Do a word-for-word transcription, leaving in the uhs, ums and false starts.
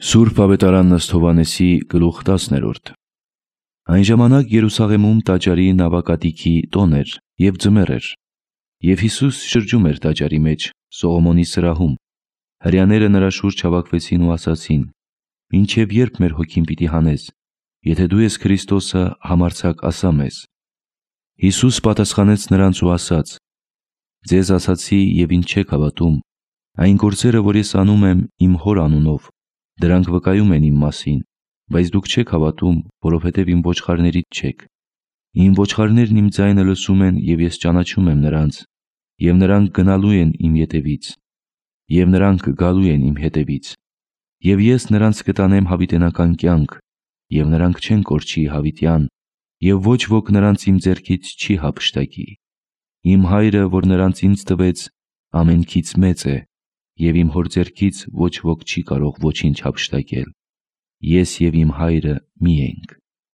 Սուրբ Ավետարան Ըստ Հովհաննեսի գլուխ տասներորդ։ Այն ժամանակ Երուսաղեմում տաճարի նավակատիքի տոն էր և ձմեռ էր, և Հիսուս շրջում էր տաճարի մեջ Սողոմոնի սրահում։ Հրեաները նրա շուրջ հավաքվեցին ու ասացին. «Մինչև ե՞րբ մեր հոգին պիտի հանես, եթե դու ես Քրիստոսը, համարձակ ասա մեզ»։ Հիսուս պատասխանեց նրանց ու ասաց. «Ձեզ ասացի և ինձ չեք հավատում։ Այն գործերը, որ ես անում եմ իմ Հոր անունով, դրանք վկայում են իմ մասին, բայց դուք չեք հավատում, որովհետև իմ ոչխարներից չեք։ Իմ ոչխարներն իմ ձայնը լսում են, և ես ճանաչում եմ նրանց, և նրանք գնալու են իմ ետևից, և նրանք գալու են իմ հետևից, և ես նրանց կտանեմ հավիտենական կյանք, և նրանք չեն կորչի հավիտյան, և ոչ ոք նրանց իմ ձեռքից չի հափշտակի։ Իմ Հայրը, որ նրանց ինձ տվեց, ամենքից մեծ է, և իմ Հոր ձեռքից ոչ ոք չի կարող ոչինչ հափշտակել։ Ես և իմ Հայրը մի ենք»։